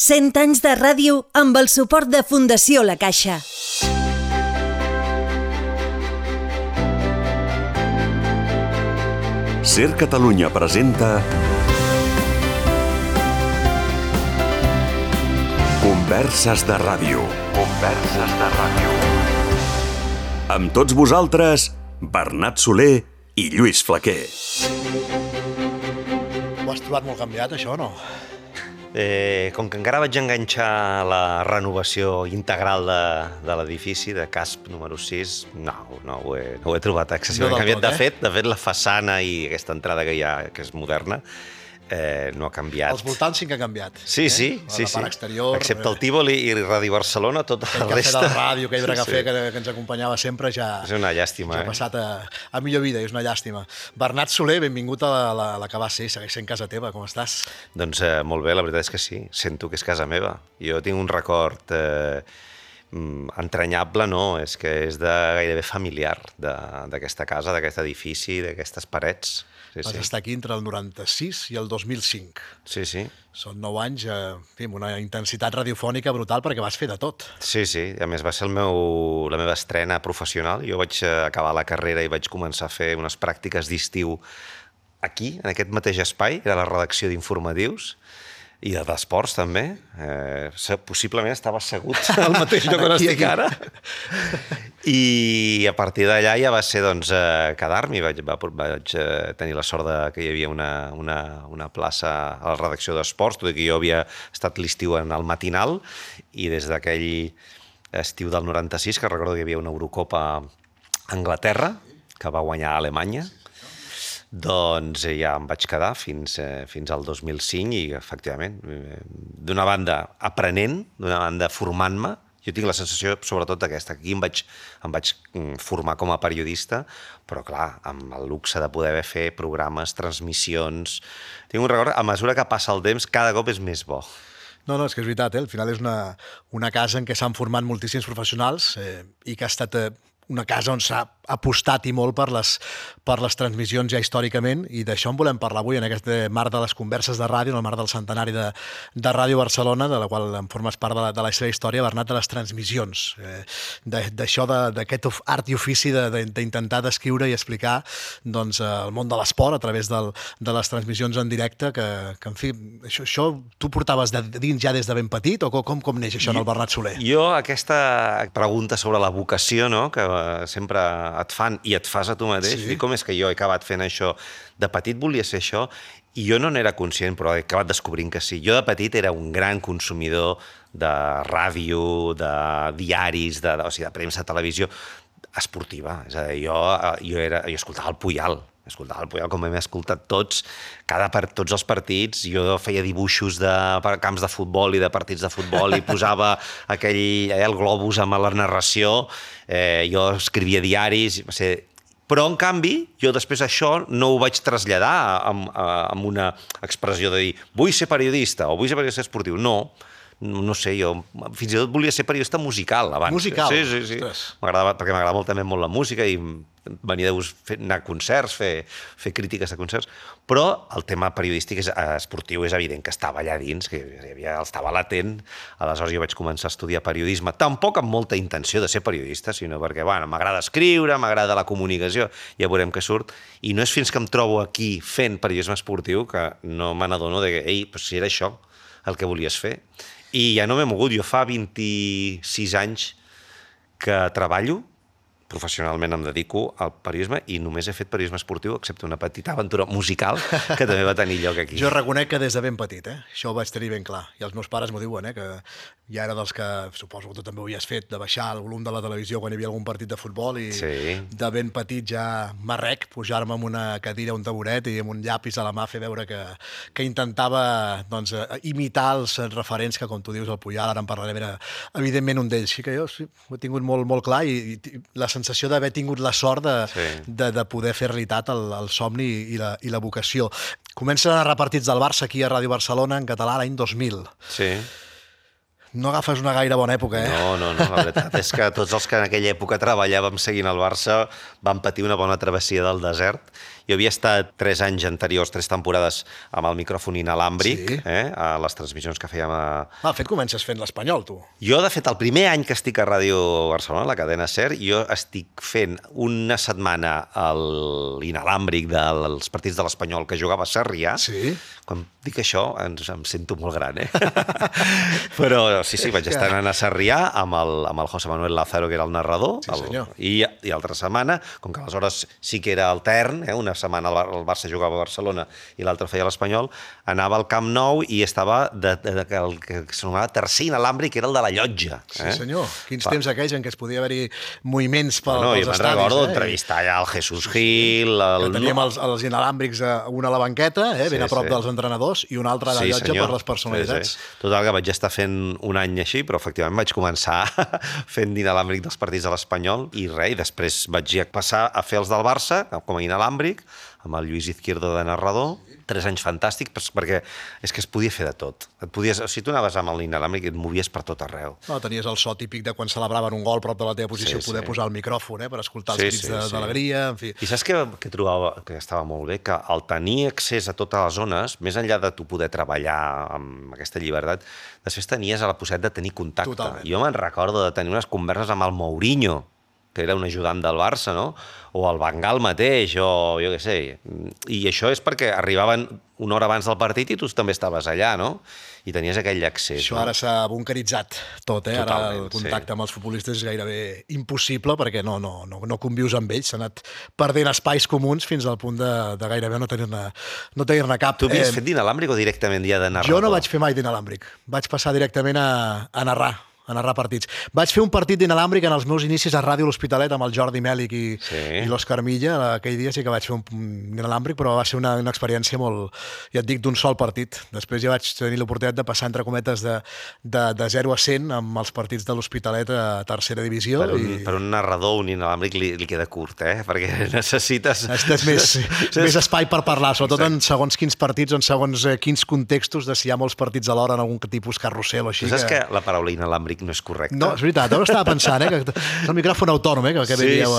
100 anys de ràdio amb el suport de Fundació La Caixa. Ser Catalunya presenta Converses de Ràdio. Converses de Ràdio. Amb tots vosaltres, Bernat Soler i Lluís Flaquer. Ho has trobat molt canviat, això, o no? Com que encara vaig enganxar la renovació integral de l'edifici, de CASP número 6, no ho he trobat excessivament canviat. De fet, la façana i aquesta entrada que hi ha, que és moderna, no ha canviat. Els voltants sí que ha canviat. Sí. La part exterior. Excepte el Tívoli i Ràdio Barcelona, tota la resta... Aquell cafè de la ràdio, aquell cafè que ens acompanyava sempre, ja... És una llàstima, ha passat a millor vida, és una llàstima. Bernat Soler, benvingut a la que va ser, segueix sent casa teva, com estàs? Doncs molt bé, la veritat és que sí, sento que és casa meva. Jo tinc un record entranyable, no, és que és gairebé familiar d'aquesta casa, d'aquest edifici, d'aquestes parets. Vas estar aquí entre el 96 i el 2005. Sí. Són 9 anys, amb una intensitat radiofònica brutal perquè vas fer de tot. Sí, a més va ser la meva estrena professional. Jo vaig acabar la carrera i vaig començar a fer unes pràctiques d'estiu aquí, en aquest mateix espai, era la redacció d'informatius, i d'esports també. Possiblement estava assegut al mateix lloc on estic ara. I a partir d'allà ja va ser quedar-m'hi. Vaig tenir la sort que hi havia una plaça a la redacció d'esports, tot i que jo havia estat l'estiu en el matinal, i des d'aquell estiu del 96, que recordo que hi havia una Eurocopa a Anglaterra, que va guanyar Alemanya, doncs ja em vaig quedar fins al 2005 i, efectivament, d'una banda aprenent, d'una banda formant-me. Jo tinc la sensació, sobretot, d'aquesta. Aquí em vaig formar com a periodista, però, clar, amb el luxe de poder fer programes, transmissions... Tinc un record, a mesura que passa el temps, cada cop és més bo. No, és que és veritat, al final és una casa en què s'han format moltíssims professionals i que ha estat una casa on s'ha apostat i molt per les transmissions ja històricament, i d'això en volem parlar avui en aquest marc de les converses de ràdio, en el marc del centenari de Ràdio Barcelona, de la qual en formes part de la seva història, Bernat, de les transmissions, d'això, d'aquest art i ofici d'intentar descriure i explicar el món de l'esport a través de les transmissions en directe, que en fi, això tu portaves dins ja des de ben petit, o com neix això en el Bernat Soler? Jo, aquesta pregunta sobre la vocació, no?, que sempre et fan i et fas a tu mateix, i com és que jo he acabat fent això? De petit volia ser això, i jo no n'era conscient, però he acabat descobrint que sí. Jo de petit era un gran consumidor de ràdio, de diaris, de premsa, televisió esportiva. És a dir, jo escoltava el Puyal, com hem escoltat tots, tots els partits. Jo feia dibuixos de camps de futbol i de partits de futbol i posava el globus amb la narració. Jo escrivia diaris, però en canvi jo després això no ho vaig traslladar amb una expressió de dir vull ser periodista o vull ser periodista esportiu. No sé, jo fins i tot volia ser periodista musical abans. Musical? Sí. Perquè m'agradava molt la música i venia anar a concerts, fer crítiques de concerts, però el tema periodístic esportiu és evident que estava allà dins, que estava latent. Aleshores jo vaig començar a estudiar periodisme, tampoc amb molta intenció de ser periodista, sinó perquè m'agrada escriure, m'agrada la comunicació, ja veurem què surt, i no és fins que em trobo aquí fent periodisme esportiu que no me n'adono que, si era això el que volies fer. I ja no m'he mogut. Jo fa 26 anys que treballo, professionalment em dedico al periodisme i només he fet periodisme esportiu, excepte una petita aventura musical que també va tenir lloc aquí. Jo reconec que des de ben petit, això ho vaig tenir ben clar. I els meus pares m'ho diuen, que ja era dels que, suposo que tu també ho havies fet, de baixar el volum de la televisió quan hi havia algun partit de futbol, i de ben petit ja m'arrec pujar-me amb una cadira, un taburet i amb un llapis a la mà fer veure que intentava imitar els referents que, com tu dius, el Puyal, ara en parlarem, era evidentment un d'ells. Així que jo ho he tingut molt clar, i la sensació d'haver tingut la sort de poder fer realitat el somni i la vocació. Comencen a narrar partits del Barça aquí a Ràdio Barcelona en català l'any 2000. Sí. No agafes una gaire bona època, No, la veritat és que tots els que en aquella època treballàvem seguint el Barça vam patir una bona travessia del desert. Jo havia estat 3 anys anteriors, 3 temporades amb el micròfon inalàmbric, a les transmissions que fèiem a... De fet, comences fent l'Espanyol, tu. Jo, de fet, el primer any que estic a Ràdio Barcelona, la cadena SER, jo estic fent una setmana l'inalàmbric dels partits de l'Espanyol que jugava a Sarrià. Sí. Quan dic això, em sento molt gran, Però sí, vaig estar anant a Sarrià amb el José Manuel Lázaro, que era el narrador, i altra setmana, com que aleshores sí que era altern, una setmana el Barça jugava a Barcelona i l'altra feia l'Espanyol, anava al Camp Nou i estava el que s'anomava tercer inalàmbric, que era el de la llotja. Sí, senyor. Quins temps aquells en què es podia haver-hi moviments pels estadis. Jo me'n recordo entrevistar allà el Jesús Gil... Que teníem els inalàmbrics, una a la banqueta, ben a prop dels entrenadors, i una altra a la llotja per les personalitats. Total, que vaig estar fent un any així, però efectivament vaig començar fent d'inalàmbric dels partits de l'Espanyol i després vaig passar a fer els del Barça com a inalàmbric, amb el Lluís Izquierdo de narrador, 3 anys fantàstics, perquè és que es podia fer de tot. Si tu anaves amb l'inalàmbric et movies per tot arreu. Tenies el so típic de quan celebraven un gol prop de la teva posició, poder posar el micròfon per escoltar els crits d'alegria, en fi. I saps què trobava que estava molt bé? Que al tenir accés a totes les zones, més enllà de tu poder treballar amb aquesta llibertat, després tenies la possibilitat de tenir contacte. Totalment. Jo me'n recordo de tenir unes converses amb el Mourinho, que era un ajudant del Barça, no? O el Van Gaal mateix, o jo què sé. I això és perquè arribaven una hora abans del partit i tu també estaves allà, no? I tenies aquell accés. Això ara s'ha bunkeritzat tot, Ara el contacte amb els futbolistes és gairebé impossible perquè no convius amb ells. S'ha anat perdent espais comuns fins al punt de gairebé no tenir-ne cap. Tu havies fet d'inalàmbric o directament ja de narrador? Jo no vaig fer mai d'inalàmbric. Vaig passar directament a narrar partits. Vaig fer un partit d'inalàmbric en els meus inicis a Ràdio L'Hospitalet amb el Jordi Mèlich i l'Òscar Milla. Aquell dia sí que vaig fer un inalàmbric, però va ser una experiència molt, ja et dic, d'un sol partit. Després ja vaig tenir l'oportunitat de passar, entre cometes, de 0 a 100 amb els partits de l'Hospitalet a tercera divisió. Per un narrador, un inalàmbric li queda curt, perquè necessites més espai per parlar, sobretot en segons quins partits, en segons quins contextos, de si hi ha molts partits alhora en algun tipus carrusel o així. Tu saps que la paraula inalàmbric no és correcte? No, és veritat, ara estava pensant, que és el micròfon autònom, que dieu...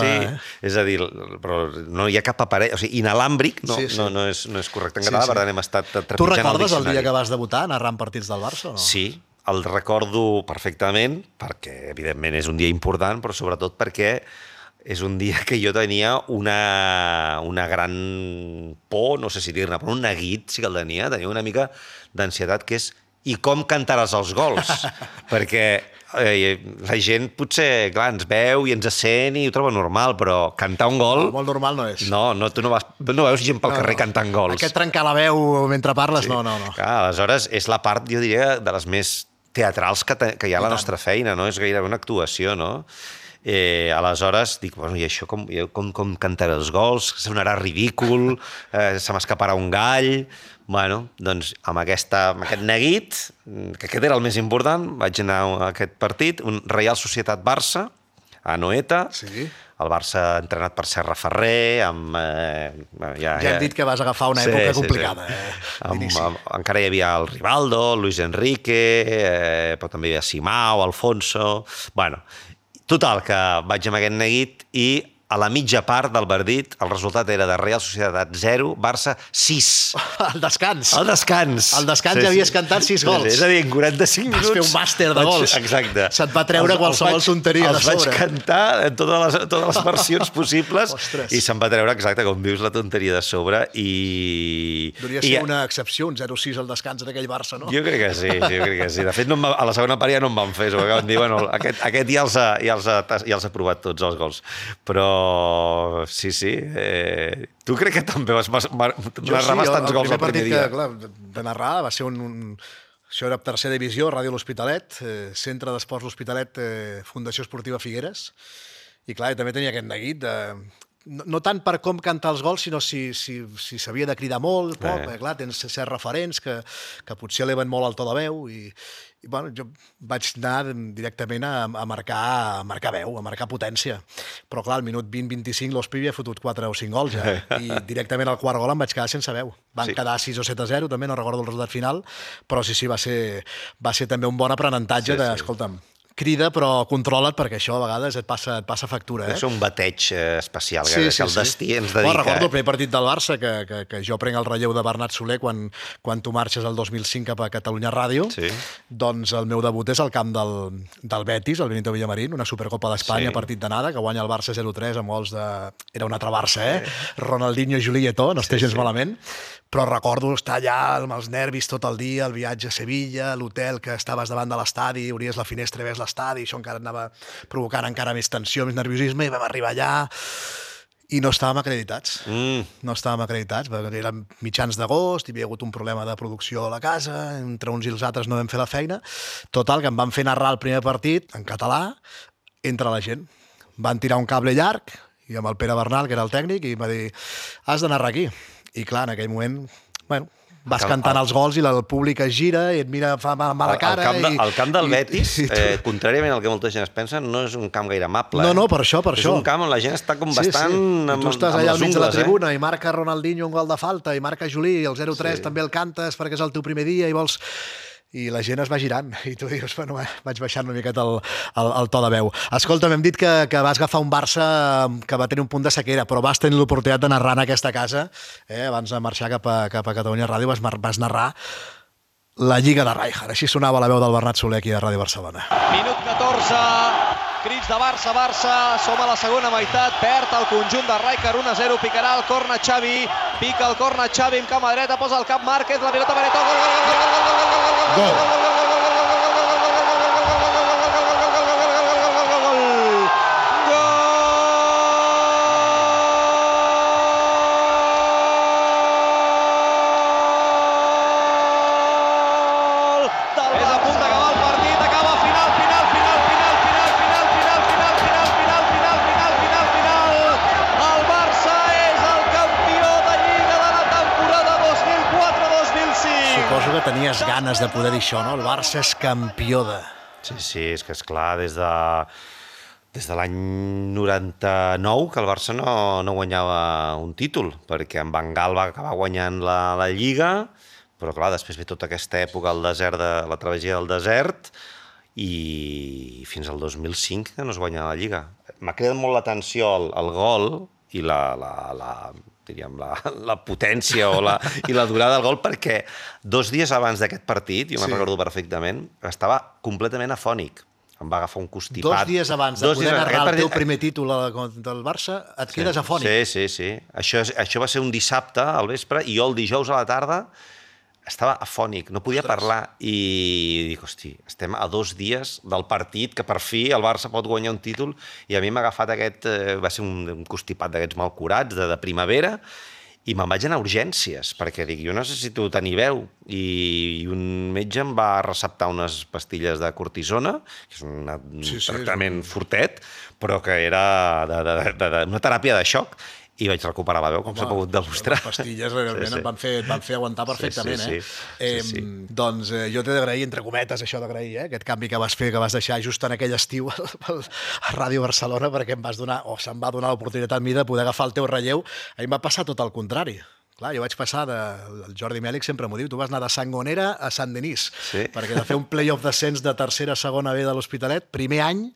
És a dir, però no hi ha cap aparell, o sigui, inalàmbric no és correcte en català, per tant hem estat trepitjant el diccionari. Tu recordes el dia que vas debutar narrant partits del Barça o no? Sí, el recordo perfectament, perquè evidentment és un dia important, però sobretot perquè és un dia que jo tenia una gran por, no sé si dir-ne, però un neguit sí que el tenia una mica d'ansietat, que és i com cantaràs els gols, perquè la gent potser, clar, ens veu i ens sent i ho troba normal, però cantar un gol... Molt normal no és. No, tu no veus gent pel carrer cantant gols. Aquest trencar la veu mentre parles, no. Clar, aleshores és la part, jo diria, de les més teatrals que hi ha a la nostra feina, no? És gairebé una actuació, no? Aleshores dic, bueno, i això com cantaré els gols? Sonarà ridícul, se m'escaparà un gall... Bueno, doncs amb aquest neguit, que aquest era el més important, vaig anar a aquest partit, un Reial Societat Barça, a Anoeta, el Barça entrenat per Serra Ferrer, amb... Ja hem dit que vas agafar una època complicada. Encara hi havia el Rivaldo, el Luis Enrique, però també hi havia Simao, Alfonso... Bueno, total, que vaig amb aquest neguit i a la mitja part del partit el resultat era de Real Societat 0, Barça 6. Al descans. Al descans. Al descans ja havies cantat 6 gols. És a dir, en 45 minuts... Vas fer un màster de gols. Exacte. Se't va treure qualsevol tonteria de sobre. Els vaig cantar en totes les versions possibles i se'm va treure, exacte, com dius, la tonteria de sobre i... Devia ser una excepció, un 0-6 al descans en aquell Barça, no? Jo crec que sí. De fet, a la segona part ja no em van fer, perquè van dir, bueno, aquest ja els ha provat tots els gols. Però sí. Tu crec que també vas narrar bastants gols el primer dia. El primer partit de narrar va ser això era tercera divisió, Ràdio L'Hospitalet, Centre d'Esports L'Hospitalet, Fundació Esportiva Figueres, i clar, també tenia aquest neguit no tant per com cantar els gols, sinó si s'havia de cridar molt, clar, tens certs referents que potser eleven molt el to de veu i bueno, jo vaig anar directament a marcar veu, a marcar potència. Però clar, al minut 20-25 l'Hospi havia fotut 4 o 5 gols ja, i directament al quart gol em vaig quedar sense veu. Van quedar 6 o 7-0, també no recordo el resultat final, però sí, va ser també un bon aprenentatge escolta'm, crida, però controla't, perquè això a vegades et passa factura. És un bateig especial, Sí. el destí ens dedica. Recordo el primer partit del Barça, que jo prenc el relleu de Bernat Soler quan tu marxes el 2005 cap a Catalunya Ràdio. Sí. Doncs el meu debut és al camp del Betis, el Benito Villamarín, una Supercopa d'Espanya, partit d'anada, que guanya el Barça 0-3 amb gols de... Era un altre Barça, Ronaldinho, Juli i no estic gens malament. Però recordo estar allà amb els nervis tot el dia, el viatge a Sevilla, l'hotel que estaves davant de l'estadi, obries la finestra i ves l'estadi, això encara anava provocant encara més tensió, més nerviosisme, i vam arribar allà i no estàvem acreditats. No estàvem acreditats, perquè eren mitjans d'agost, hi havia hagut un problema de producció a la casa, entre uns i els altres no vam fer la feina. Total, que em van fer narrar el primer partit en català entre la gent. Van tirar un cable llarg, i amb el Pere Bernal, que era el tècnic, i em va dir, has de narrar aquí. I clar, en aquell moment, vas cantant els gols i el públic es gira i et mira, fa mala cara. El camp del Betis, contràriament al que molta gent es pensa, no és un camp gaire amable. No, per això. És un camp on la gent està com bastant I tu estàs allà al mig de la tribuna i marca Ronaldinho un gol de falta i marca Juli i el 0-3 també el cantes perquè és el teu primer dia i vols... I la gent es va girant, i tu dius, vaig baixant una miqueta el to de veu. Escolta, m'hem dit que vas agafar un Barça que va tenir un punt de sequera, però vas tenir l'oportunitat de narrar en aquesta casa, abans de marxar cap a Catalunya Ràdio, vas narrar la Lliga de Rijkaard. Així sonava la veu del Bernat Soler aquí a Ràdio Barcelona. Minut 14, crits de Barça, som a la segona meitat, perd el conjunt de Rijkaard 1-0, picarà el córner Xavi, pica el córner Xavi amb cama dreta, posa el cap Márquez, la pilota Benito, gol! Tenies ganes de poder dir això, no? El Barça és campió de... Sí, és que és clar, des de l'any 99 que el Barça no guanyava un títol, perquè en Van Gaal va acabar guanyant la Lliga, però clar, després ve tota aquesta època, la travessia del desert, i fins al 2005 que no es guanya la Lliga. M'ha cridat molt l'atenció el gol i diríem, la potència i la durada del gol, perquè 2 dies abans d'aquest partit, jo me'n recordo perfectament, estava completament afònic. Em va agafar un constipat. 2 dies abans de poder narrar el teu primer títol del Barça, et quedes afònic. Sí. Això va ser un dissabte al vespre, i jo el dijous a la tarda estava afònic, no podia parlar, i dic, hosti, estem a 2 dies del partit que per fi el Barça pot guanyar un títol, i a mi m'ha agafat va ser un constipat d'aquests malcurats de primavera, i me'n vaig anar a urgències, perquè dic, jo necessito tenir veu, i un metge em va receptar unes pastilles de cortisona, que és un tractament fortet, però que era una teràpia de xoc, i vaig recuperar la veu, com s'ha pogut demostrar. Les pastilles realment et van fer aguantar perfectament. Doncs jo t'he d'agrair, entre cometes, això d'agrair, aquest canvi que vas fer, que vas deixar just en aquell estiu a Ràdio Barcelona, perquè se'm va donar l'oportunitat a mi de poder agafar el teu relleu. A mi em va passar tot el contrari. Clar, jo vaig passar el Jordi Mèlic sempre m'ho diu, tu vas anar de Sangonera a Sant Denis, perquè de fer un play-off descens de tercera a segona B de l'Hospitalet, primer any,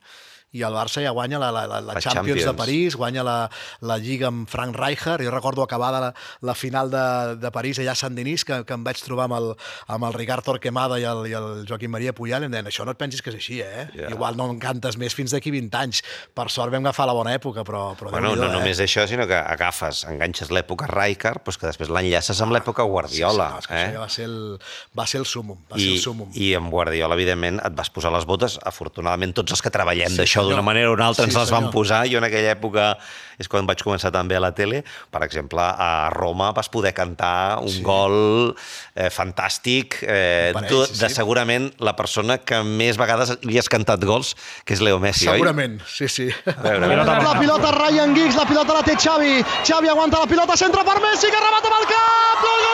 i el Barça ja guanya la Champions de París, guanya la Lliga amb Frank Rijkaard. Jo recordo acabada la final de París allà a Sant Denis, que em vaig trobar amb el Ricard Torquemada i el Joaquim Maria Puyal, i em deien, això no et pensis que és així, Igual no en cantes més fins d'aquí 20 anys. Per sort vam agafar la bona època, però bueno, no només això, sinó que enganxes l'època Rijkaard, doncs que després l'enllaces amb l'època Guardiola. Això va ser el súmum. I amb Guardiola, evidentment, et vas posar les botes. Afortunadament, tots els que treballem d'això d'una manera o una altra ens les van posar. Jo en aquella època és quan vaig començar també a la tele. Per exemple, a Roma vas poder cantar un gol fantàstic de segurament la persona que més vegades li has cantat gols, que és Leo Messi, oi? Segurament, sí. La pilota Ryan Giggs, la pilota la té Xavi. Xavi aguanta la pilota, centra per Messi, que remata amb el cap. Gol!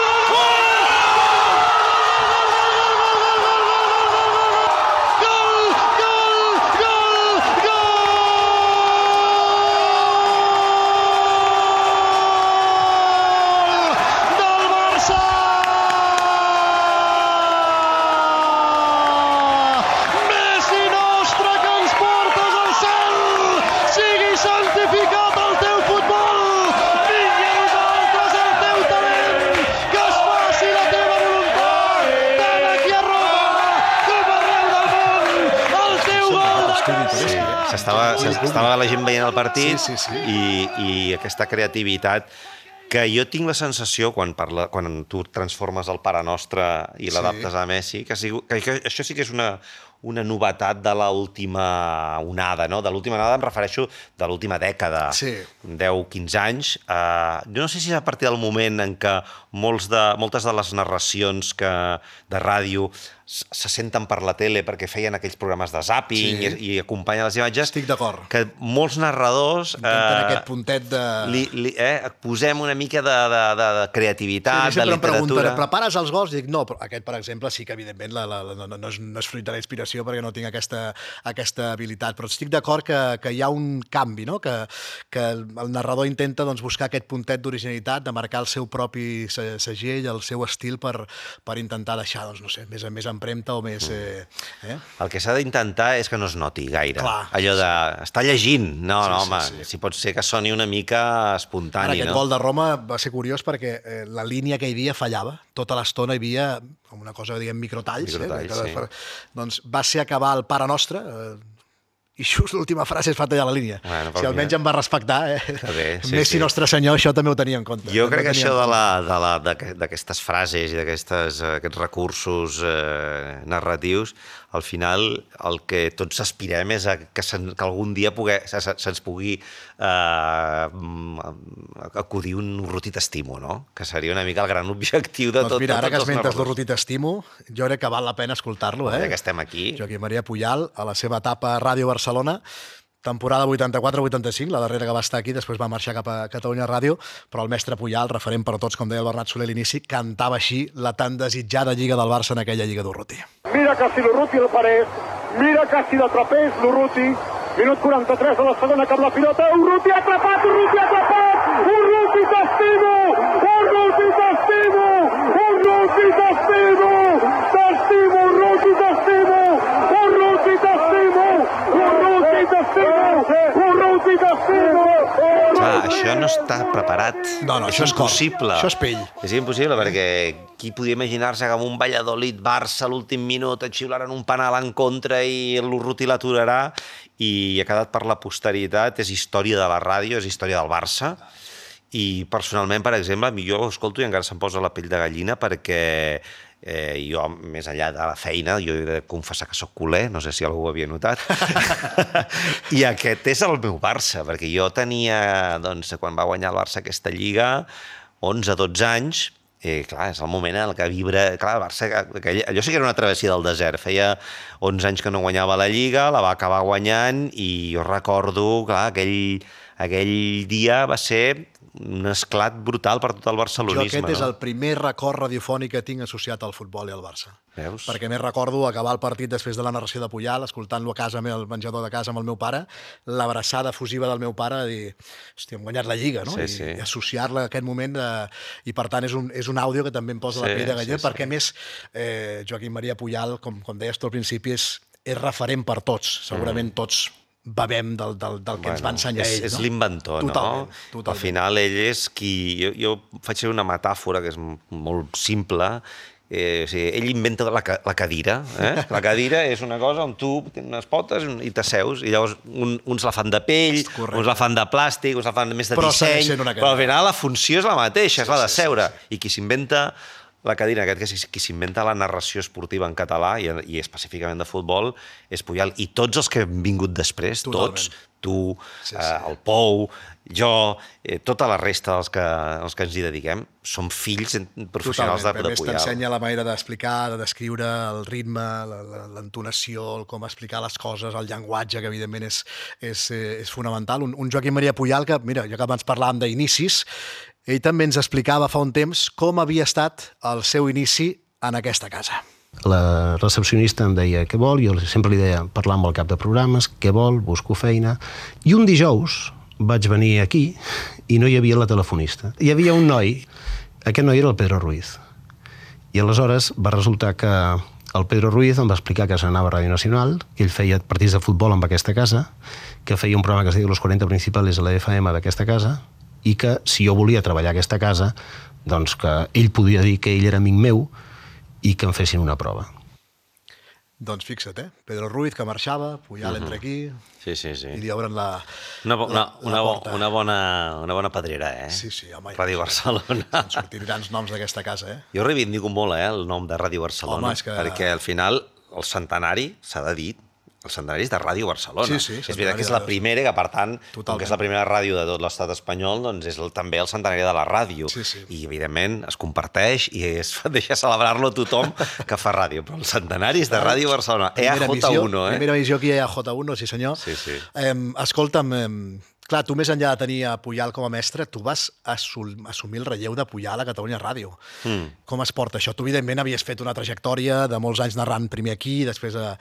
estudi turístic. S'estava la gent veient el partit Sí. i aquesta creativitat que jo tinc la sensació, quan tu transformes el Pare Nostre i l'adaptes a Messi, que això sí que és una novetat de l'última onada, no? De l'última onada em refereixo de l'última dècada, 10-15 anys. Jo no sé si és a partir del moment en què moltes de les narracions de ràdio se senten per la tele perquè feien aquells programes de zàping i acompanyen les imatges. Estic d'acord. Que molts narradors... Intenten aquest puntet de... Posem una mica de creativitat, de literatura... Em pregunten, prepares els gols? I dic, no, però aquest, per exemple, sí que evidentment no és fruit de la inspiració perquè no tinc aquesta habilitat, però estic d'acord que hi ha un canvi, no? Que el narrador intenta buscar aquest puntet d'originalitat, de marcar el seu propi segell, el seu estil per intentar deixar, no sé, més empremta o més... El que s'ha d'intentar és que no es noti gaire. Clar, allò de... Està llegint. No, home, si pot ser que soni una mica espontani, no? Aquest gol de Roma va ser curiós perquè la línia que hi havia fallava. Tota l'estona hi havia una cosa, diguem, microtalls. Doncs va ser acabar el Pare Nostre... I just l'última frase es fa tallar la línia. Si almenys em va respectar, Messi Nostre Senyor, això també ho tenia en compte. Jo crec que això d'aquestes frases i d'aquests recursos narratius, al final el que tots aspirem és que algun dia se'ns pugui acudir un Urruti t'estimo, no? Que seria una mica el gran objectiu de tot. Doncs mira, ara que esmentes l'Urruti t'estimo, jo crec que val la pena escoltar-lo. Ja que estem aquí. Joaquim Maria Pujal, a la seva etapa a Ràdio Barcelona, temporada 84-85, la darrera que va estar aquí, després va marxar cap a Catalunya Ràdio, però el mestre Pujal, referent per a tots, com deia el Bernat Soler a l'inici, cantava així la tan desitjada Lliga del Barça en aquella Lliga d'Urruti. Mira casi l'Urruti el Parés, mira casi de trapeix l'Urruti, minut 43 de la segona cap la pilota, Urruti atrapat, Urruti t'estimo, Urruti t'estimo, Urruti t'estimo, t'estimo, Urruti t'estimo, Urruti t'estimo, Urruti t'estimo, això no està preparat. No, això és impossible. Això és pell. És impossible, perquè qui podia imaginar-se que amb un Valladolid-Barça a l'últim minut et xiularan un penal en contra i l'Urruti l'aturarà, i ha quedat per la posteritat. És història de la ràdio, és història del Barça. I personalment, per exemple, jo ho escolto i encara se'm posa la pell de gallina perquè jo, més enllà de la feina, jo he de confessar que soc culer, no sé si algú ho havia notat, i aquest és el meu Barça, perquè jo tenia, doncs, quan va guanyar el Barça aquesta lliga, 11-12 anys, clar, és el moment en què vibra... Clar, el Barça, allò sí que era una travessia del desert, feia 11 anys que no guanyava la lliga, la va acabar guanyant, i jo recordo, clar, aquell dia va ser un esclat brutal per tot el barcelonisme. Jo aquest és el primer record radiofònic que tinc associat al futbol i al Barça. Veus? Perquè més recordo acabar el partit després de la narració de Pujal, escoltant-lo a casa, al menjador de casa amb el meu pare, l'abraçada fusiva del meu pare, de dir, hòstia, hem guanyat la Lliga, no? I associar-la a aquest moment, i per tant és un àudio que també em posa la pell de gallina, perquè més Joaquim Maria Pujal, com deies tu al principi, és referent per tots, segurament tots bevem del que ens va ensenyar ell. És l'inventor, no? Totalment. Al final ell és qui... Jo faig una metàfora que és molt simple. Ell inventa la cadira. La cadira és una cosa on tu tens unes potes i t'asseus, i llavors uns la fan de pell, uns la fan de plàstic, uns la fan més de disseny, però al final la funció és la mateixa, és la de seure. I qui s'inventa la cadira, aquest que és qui s'inventa la narració esportiva en català i específicament de futbol, és Pujal. I tots els que han vingut després, tots, tu, el Pou, jo, tota la resta dels que ens hi dediquem, són fills professionals de Pujal. A més, t'ensenya la manera d'explicar, de descriure el ritme, l'entonació, com explicar les coses, el llenguatge, que evidentment és fonamental. Un Joaquim Maria Pujal que, mira, ja que abans parlàvem d'inicis, ell també ens explicava fa un temps com havia estat el seu inici en aquesta casa. La recepcionista em deia què vol, jo sempre li deia parlar amb el cap de programes, què vol, busco feina. I un dijous vaig venir aquí i no hi havia la telefonista. Hi havia un noi, aquest noi era el Pedro Ruiz. I aleshores va resultar que el Pedro Ruiz em va explicar que s'anava a Ràdio Nacional, que ell feia partits de futbol amb aquesta casa, que feia un programa que es deia Los 40 Principales a la FM d'aquesta casa, i que si jo volia treballar a aquesta casa, doncs que ell podia dir que ell era amic meu i que em fessin una prova. Doncs fixa't, Pedro Ruiz, que marxava, Puyal entra aquí... Sí. I li obren la porta. Una bona pedrera, Sí, home. Ràdio Barcelona. Estan sortint grans noms d'aquesta casa, Jo reivindico molt, el nom de Ràdio Barcelona. Home, és que... Perquè al final el centenari, s'ha de dir, el centenari és de Ràdio Barcelona. Sí, és veritat que és la primera, que per tant, com que és la primera ràdio de tot l'estat espanyol, doncs és també el centenari de la ràdio. Sí. I, evidentment, es comparteix i es deixa celebrar-lo tothom que fa ràdio. Però el centenari és de Ràdio Barcelona. EAJ1, Primera visió aquí a EAJ1, sí senyor. Sí. Escolta'm, clar, tu més enllà de tenir a Puyal com a mestre, tu vas assumir el relleu de Puyal a Catalunya Ràdio. Com es porta això? Tu, evidentment, havies fet una trajectòria de molts anys narrant primer aquí, després a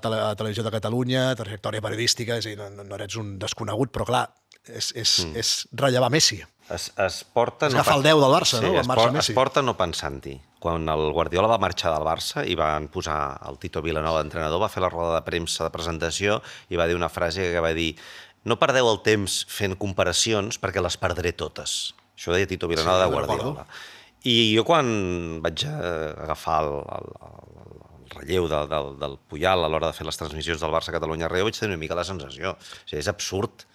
Televisió de Catalunya, trajectòria periodística, és a dir, no eres un desconegut, però clar, és rellevar Messi. Es porta... És agafar el 10 del Barça, no? Es porta no pensant-hi. Quan el Guardiola va marxar del Barça i van posar el Tito Vilanova d'entrenador, va fer la roda de premsa de presentació i va dir una frase que va dir: no perdeu el temps fent comparacions perquè les perdré totes. Això ho deia Tito Vilanova de Guardiola. I jo quan vaig agafar el relleu del Puyal a l'hora de fer les transmissions del Barça a Catalunya Ràdio, vaig tenir una mica la sensació. O sigui, és absurd.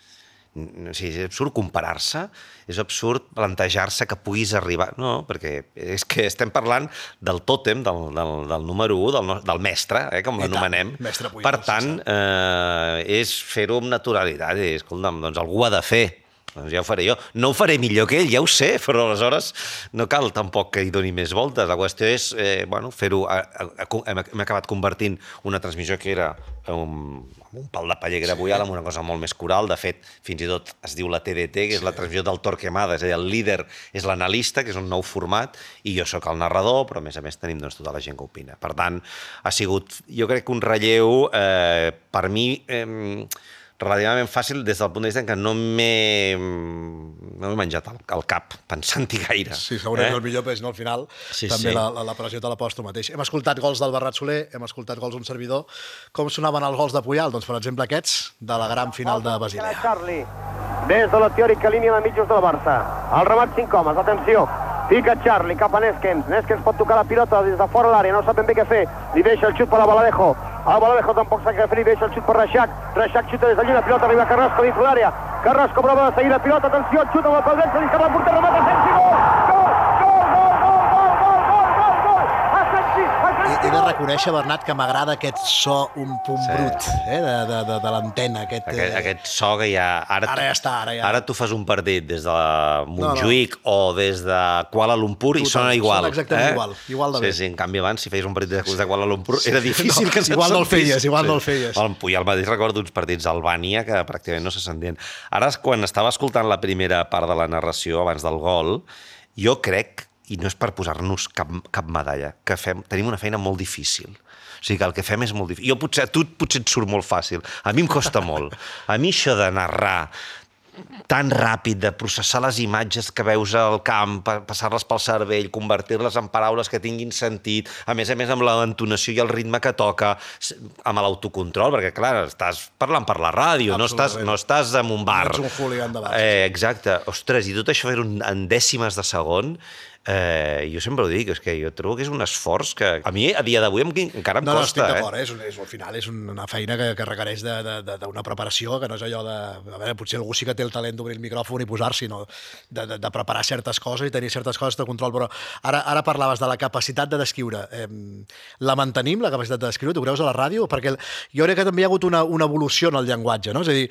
És absurd comparar-se, és absurd plantejar-se que puguis arribar... No, perquè és que estem parlant del tòtem, del número 1, del mestre, com l'anomenem. Per tant, és fer-ho amb naturalitat. Escolta'm, doncs algú ha de fer. Doncs ja ho faré jo. No ho faré millor que ell, ja ho sé, però aleshores no cal tampoc que hi doni més voltes. La qüestió és fer-ho... Hem acabat convertint una transmissió que era un pal de paller que era Puyal amb una cosa molt més coral. De fet, fins i tot es diu la TDT, que és la transmissió del Torquemada, és a dir, el líder és l'analista, que és un nou format, i jo sóc el narrador, però a més tenim tota la gent que opina. Per tant, ha sigut, jo crec que un relleu, per mi, relativament fàcil des del punt de vista que no m'he menjat el cap pensant-hi gaire. Sí, segurament el millor, però al final també la pressió te la pos tu mateix. Hem escoltat gols del Bernat Soler, hem escoltat gols d'un servidor. Com sonaven els gols de Puyal? Doncs, per exemple, aquests de la gran final de Basilea. Charlie, des de la teòrica línia de mitjos del Barça. El remat 5 homes, atenció. Pica Charlie cap a Neskens. Neskens pot tocar la pilota des de fora l'àrea, no sap ben bé què fer. Li deixa el xut per a Baladejo. El Baladejo tampoc sap què fer, li deixa el xut per Reixac. Reixac xuta des d'allí, la pilota arriba a Carrasco dins l'àrea. Carrasco prova de seguir la pilota, atenció, xut amb el peu dret, se li escapa el porter, remata Asensi, gol! He de reconèixer, Bernat, que m'agrada aquest so un punt brut de l'antena. Aquest so que ja... Ara ja està. Ara tu fas un partit des de Montjuïc o des de Kuala Lumpur i sona igual. Sona exactament igual de bé. Sí, en canvi abans, si feies un partit de Kuala Lumpur, era difícil que se'n igual no el feies. El Puyal mateix recordo uns partits a Albània que pràcticament no se sentien. Ara, quan estava escoltant la primera part de la narració abans del gol, jo crec, i no és per posar-nos cap medalla, que tenim una feina molt difícil. O sigui que el que fem és molt difícil. A tu potser et surt molt fàcil. A mi em costa molt. A mi això de narrar tan ràpid, de processar les imatges que veus al camp, passar-les pel cervell, convertir-les en paraules que tinguin sentit, a més amb l'entonació i el ritme que toca, amb l'autocontrol, perquè, clar, estàs parlant per la ràdio, no estàs en un bar. No ets un hooligan de bar. Exacte. Ostres, i tot això fer-ho en dècimes de segon, jo sempre ho dic, és que jo trobo que és un esforç que a mi a dia d'avui encara em costa. No, estic d'acord, al final és una feina que requereix d'una preparació, que no és allò de... A veure, potser algú sí que té el talent d'obrir el micròfon i posar-s'hi, no? De preparar certes coses i tenir certes coses de control, però ara parlaves de la capacitat de descriure. La mantenim, la capacitat de descriure? Tu creus a la ràdio? Perquè jo crec que també hi ha hagut una evolució en el llenguatge, no? És a dir,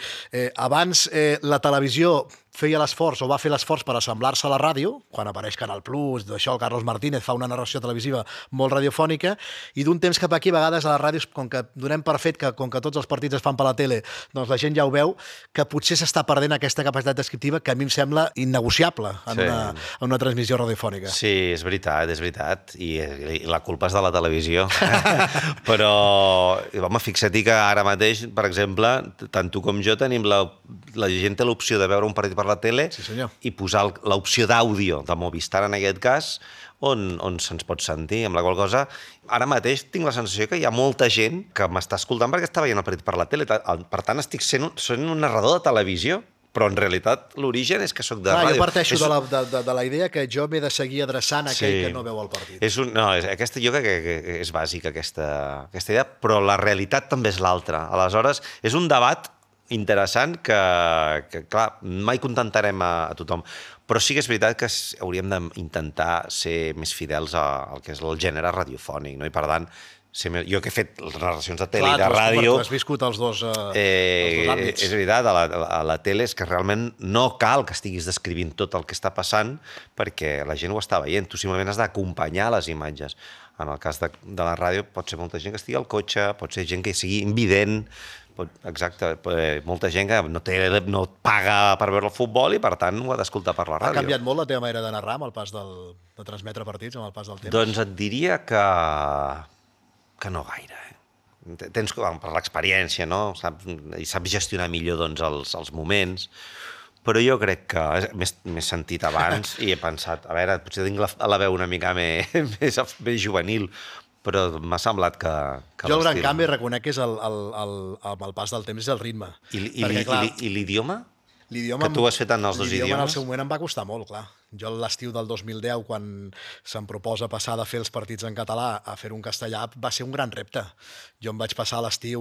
abans la televisió feia l'esforç o va fer l'esforç per assemblar-se a la ràdio, quan apareix Canal Plus, d'això el Carlos Martínez fa una narració televisiva molt radiofònica, i d'un temps cap aquí, a vegades a les ràdios, com que donem per fet que com que tots els partits es fan per la tele, doncs la gent ja ho veu, que potser s'està perdent aquesta capacitat descriptiva que a mi em sembla innegociable en una transmissió radiofònica. Sí, és veritat, i la culpa és de la televisió. Però, home, fixa't que ara mateix, per exemple, tant tu com jo tenim la gent té l'opció de veure un partit per la tele i posar l'opció d'àudio de Movistar, en aquest cas, on se'ns pot sentir, amb la qual cosa ara mateix tinc la sensació que hi ha molta gent que m'està escoltant perquè està veient el partit per la tele. Per tant, estic sent un narrador de televisió, però en realitat l'origen és que sóc de Clar, ràdio. jo parteixo de la idea que jo m'he de seguir adreçant a aquell que no veu el partit. Jo crec que és bàsica aquesta idea, però la realitat també és l'altra. Aleshores, és un debat interessant que clar, mai contentarem a tothom, però sí que és veritat que hauríem d'intentar ser més fidels al que és el gènere radiofònic, no? I per tant, jo que he fet les narracions de tele i de ràdio... Tu has viscut els dos àmbits. És veritat, a la tele és que realment no cal que estiguis descrivint tot el que està passant perquè la gent ho està veient, tu simplement has d'acompanyar les imatges. En el cas de la ràdio pot ser molta gent que estigui al cotxe, pot ser gent que sigui invident, exacte, molta gent que no paga per veure el futbol i per tant ho ha d'escoltar per la ràdio. Ha canviat molt la teva manera de narrar amb el pas de transmetre partits, amb el pas del temps? Doncs et diria que no gaire. Tens per l'experiència, no? I saps gestionar millor els moments, però jo crec que m'he sentit abans i he pensat, a veure, potser tinc la veu una mica més juvenil, però m'ha semblat que jo el gran canvi reconec que és amb el pas del temps és el ritme. I l'idioma? Que tu has fet en els dos idiomes? L'idioma en el seu moment em va costar molt, clar. Jo l'estiu del 2010, quan se'm proposa passar de fer els partits en català a fer un castellà, va ser un gran repte. Jo em vaig passar l'estiu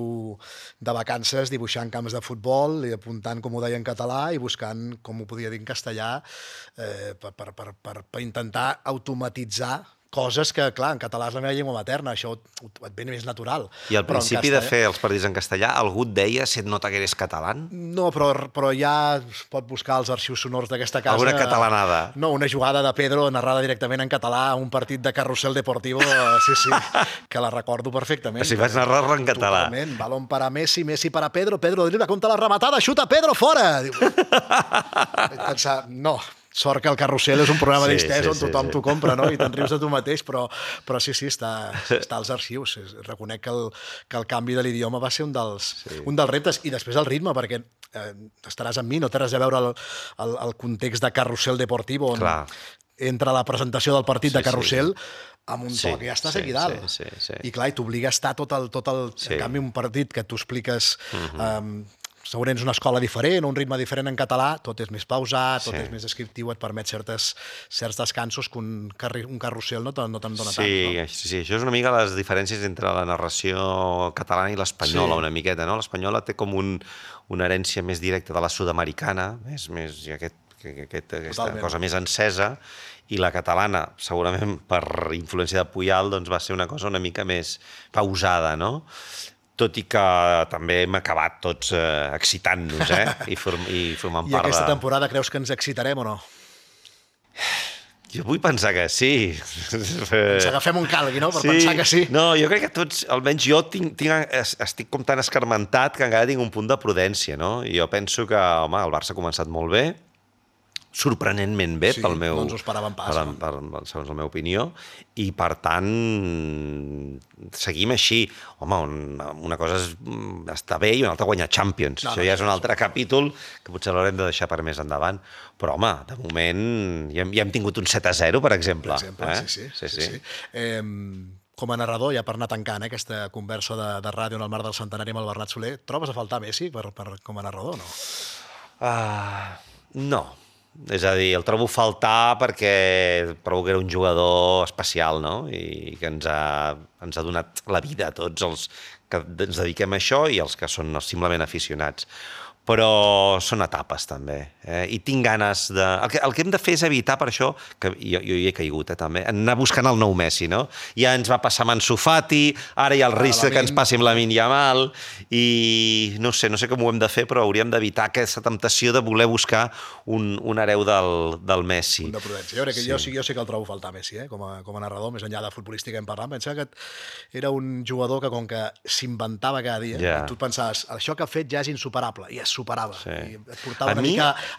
de vacances dibuixant camps de futbol i apuntant com ho deia en català i buscant com ho podia dir en castellà per intentar automatitzar coses que, clar, en català és la meva llengua materna, això et ve més natural. I al principi de fer els partits en castellà, algú et deia si et nota que eres català? No, però ja es pot buscar els arxius sonors d'aquesta casa. Alguna catalanada? No, una jugada de Pedro narrada directament en català a un partit de Carrusel Deportivo, sí, que la recordo perfectament. Si vas narrar-la en català. Totalment, balón para Messi, Messi para Pedro, Pedro dribla contra la rematada, xuta Pedro, fora! Vaig pensar, no, sort que el Carrusel és un programa d'Istès on tothom t'ho compra, no? I te'n rius de tu mateix, però sí, està als arxius. Reconec que el canvi de l'idioma va ser un dels reptes. I després el ritme, perquè estaràs amb mi, no té res a veure el context de Carrusel Deportivo, on entra la presentació del partit de Carrusel amb un to que ja estàs aquí dalt. I clar, t'obliga a estar tot el... En canvi, un partit que tu expliques... segurament és una escola diferent, un ritme diferent en català, tot és més pausat, tot és més descriptiu, et permet certs descansos que un carrusel no te'n dona tant. Sí, això és una mica les diferències entre la narració catalana i l'espanyola, una miqueta, no? L'espanyola té com una herència més directa de la sud-americana, aquesta cosa més encesa, i la catalana, segurament per influència de Puyal, doncs va ser una cosa una mica més pausada, no? Tot i que també hem acabat tots excitant-nos i formant part de... I aquesta temporada creus que ens excitarem o no? Jo vull pensar que sí. Ens agafem un calgui, no?, per pensar que sí. No, jo crec que tots, almenys jo estic com tan escarmentat que encara tinc un punt de prudència, no? I jo penso que, home, el Barça ha començat molt bé, sorprenentment bé, pel meu... Sí, no ens ho esperàvem pas. Segons la meva opinió, i per tant seguim així. Home, una cosa és estar bé i una altra guanyar Champions. Això ja és un altre capítol que potser l'haurem de deixar per més endavant. Però, home, de moment ja hem tingut un 7-0, per exemple. Sí. Com a narrador, ja per anar tancant aquesta conversa de ràdio en el marc del centenari amb el Bernat Soler, trobes a faltar Messi com a narrador o no? No. És a dir, el trobo a faltar perquè trobo que era un jugador especial, no? I que ens ha donat la vida a tots els que ens dediquem a això i els que són simplement aficionats. Però són etapes, també. I tinc ganes de... El que hem de fer és evitar, per això, que jo hi he caigut, també, anar buscant el nou Messi, no? Ja ens va passar amb Ansu Fati, ara hi ha el risc que ens passi amb Lamine Yamal, i no sé com ho hem de fer, però hauríem d'evitar aquesta temptació de voler buscar un hereu del Messi. Un de prudència. Jo sé que el trobo a faltar Messi, com a narrador, més enllà de futbolística hem parlat. Pensava que era un jugador que, com que s'inventava cada dia, tu et pensaves, això que ha fet ja és insuperable, i és superava. I et portava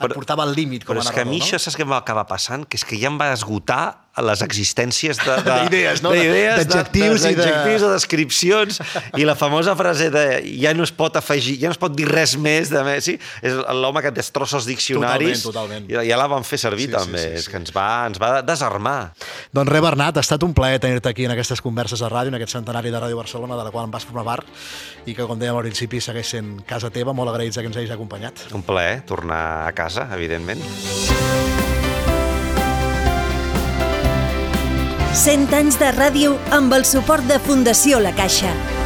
et portava al límit com a narrador. Però és que a mi això saps què em va acabar passant? Que és que ja em va esgotar les existències d'idees, no? D'adjectius i de descripcions, i la famosa frase de ja no es pot afegir, ja no es pot dir res més de Messi, és l'home que destrossa els diccionaris. Totalment. Ja la vam fer servir també, és que ens va desarmar. Doncs res, Bernat, ha estat un plaer tenir-te aquí en aquestes converses de ràdio, en aquest centenari de Ràdio Barcelona, de la qual em vas formar part, i que, com dèiem al principi, segueix sent casa teva. Molt agraïts que ens hagis m'hagués acompanyat. Un plaer tornar a casa, evidentment. 100 anys de ràdio amb el suport de Fundació La Caixa.